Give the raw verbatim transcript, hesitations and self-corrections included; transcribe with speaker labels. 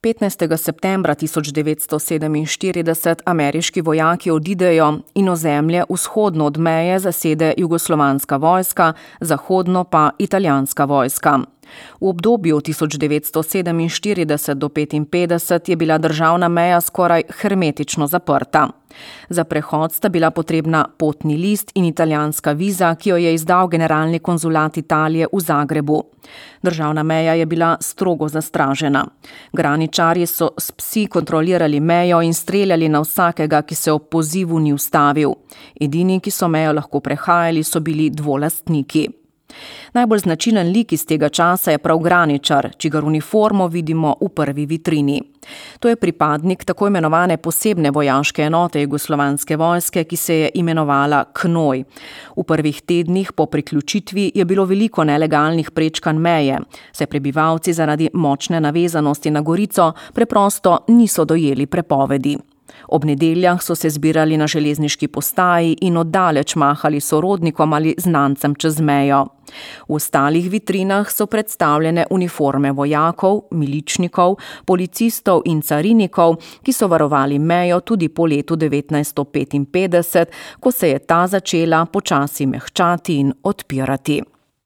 Speaker 1: petnajstega septembra tisoč devetsto sedeminštirideset ameriški vojaki odidejo in ozemlje vzhodno od meje zasede jugoslovanska vojska, zahodno pa italijanska vojska. V obdobju tisoč devetsto sedeminštirideset do petinpetdeset je bila državna meja skoraj hermetično zaprta. Za prehod sta bila potrebna potni list in italijanska viza, ki jo je izdal generalni konzulat Italije v Zagrebu. Državna meja je bila strogo zastražena. Graničarji so s psi kontrolirali mejo in streljali na vsakega, ki se ob pozivu ni ustavil. Edini, ki so mejo lahko prehajali, so bili dvolastniki. Najbolj značilen lik iz tega časa je prav graničar, čigar uniformo vidimo v prvi vitrini. To je pripadnik tako imenovane posebne vojaške enote jugoslovanske vojske, ki se je imenovala Knoj. V prvih tednih po priključitvi je bilo veliko nelegalnih prečkanj meje, saj prebivalci zaradi močne navezanosti na Gorico preprosto niso dojeli prepovedi. Ob nedeljah so se zbirali na železniški postaji in oddaleč mahali sorodnikom ali znancem čez mejo. V ostalih vitrinah so predstavljene uniforme vojakov, miličnikov, policistov in carinikov, ki so varovali mejo tudi po letu devetnajststo petinpetdeset, ko se je ta začela počasi mehčati in odpirati.